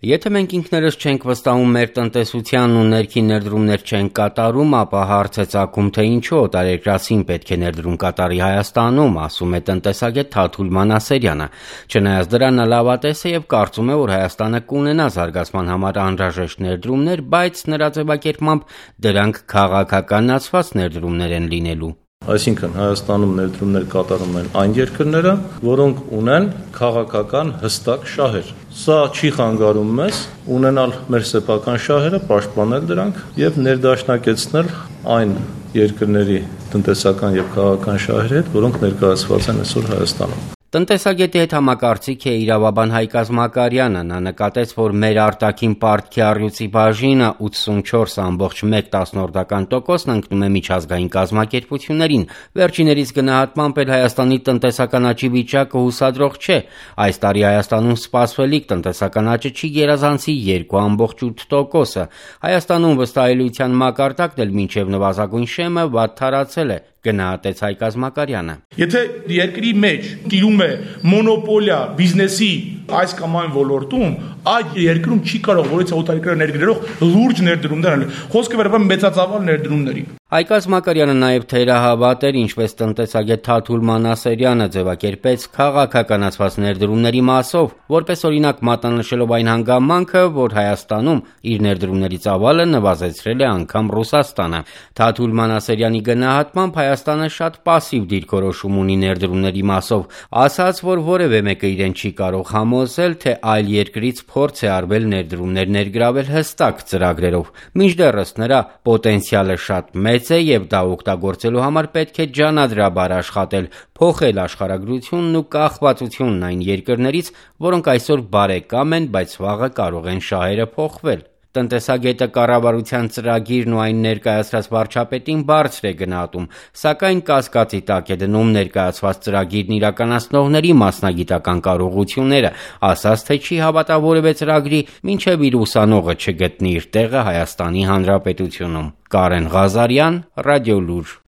Եթե մենք ինքներս չենք վստահում մեր տնտեսությանն ու ներքին ներդրումներ չենք կատարում, ապա հարց է ծագում, թե ինչու օտարերկրացին պետք է ներդրում կատարի Հայաստանում, ասում է տնտեսագետ Թաթուլ Մանասերյանը։ Չնայած դրան նա լավատես է եւ կարծում է, որ Հայաստանը կունենա զարգացման համար անհրաժեշտ ներդրումներ, բայց նրա ձևակերպմամբ դրանք քաղաքականացված ներդրումներ են լինելու։ Այսինքն Հայաստանում ներդրումներ կատարում են այն երկրները, որոնք ունեն քաղաքական հստակ շահեր։ Սա չի խանգարում մեզ ունենալ մեր սեփական շահերը, պաշտպանել դրանք եւ ներդաշնակեցնել այն երկրների տնտեսական եւ քաղաքական շահերի հետ, որոնք ներկայացված են այսօր Հայաստանում։ Տնտեսագետի հետ համակարծիք է իրավաբան Հայկ Ազմակարյանը։ Նա նկատեց, որ մեր արտաքին պարտքի առյուծի բաժինը 84.1%-ն ընկնում է միջազգային կազմակերպություններին։ Վերջիներիս գնահատմամբ էլ Հայաստանի տնտեսական աճի վիճակը հուսադրող չէ։ Այս տարի Հայաստանում սպասվելիք տնտեսական աճը չի գերազանցի 2.8%-ը։ Հայաստանում վստահելիության մակարդակն էլ մինչև նվազագույն շեմը վատթարացել է, գնահատեց Հայկ Ազմակարյանը։ Եթե երկրի մեջ տիրում է մոնոպոլիա բիզնեսի այս կամ այն ոլորտում, այդ երկրում չի կարող որից օտարերկրյա ներդրող լուրջ ներդրումներ անել։ Խոսքը վերաբերում մեծածավալ ներդրումների։ Հայկ Ազմակարյանը նաև թերահավատ էր, ինչպես տնտեսագետ Թաթուլ Մանասերյանը ձևակերպեց քաղաքականացված ներդրումների մասով, որպես օրինակ մատնանշելով այն հանգամանքը, որ Հայաստանում իր ներդրումների ծավալը նվազեցրել է անգամ Ռուսաստանը։ Թաթուլ Մանասերյանի գնահատմամբ Հայաստանը շատ պասիվ դիրքորոշում ունի ներդրումների մասով, ասաց, որ որևէ մեկը իրեն չի կարող համոզել, թե այլ երկրից փորձ է արվել ներդրումներ ներգրավել հստակ ծրագրերով։ Մինչդեռս նրա պոտենցիալը շատ մեծ է եւ դա օգտագործելու համար պետք է ջանադրաբար աշխատել, փոխել աշխարհագրությունն ու կախվածությունն այն երկրներից, որոնք այսօր բարեկամ են, բայց վաղը կարող են շահերը փոխվել։ Տնտեսագետը կառավարության ծրագիրն ու այն ներկայացրած վարչապետին բարձր է գնահատում, սակայն կասկածի տակ է դնում ներկայացված ծրագիրն իրականացնողների մասնագիտական կարողությունները, ասաց, թե չի հավատա որևէ ծրագրի, մինչև իր ուսանողը չգտնի իր տեղը Հայաստանի Հանրապետությունում։ Կարեն Ղազարյան, Ռադիոլուր։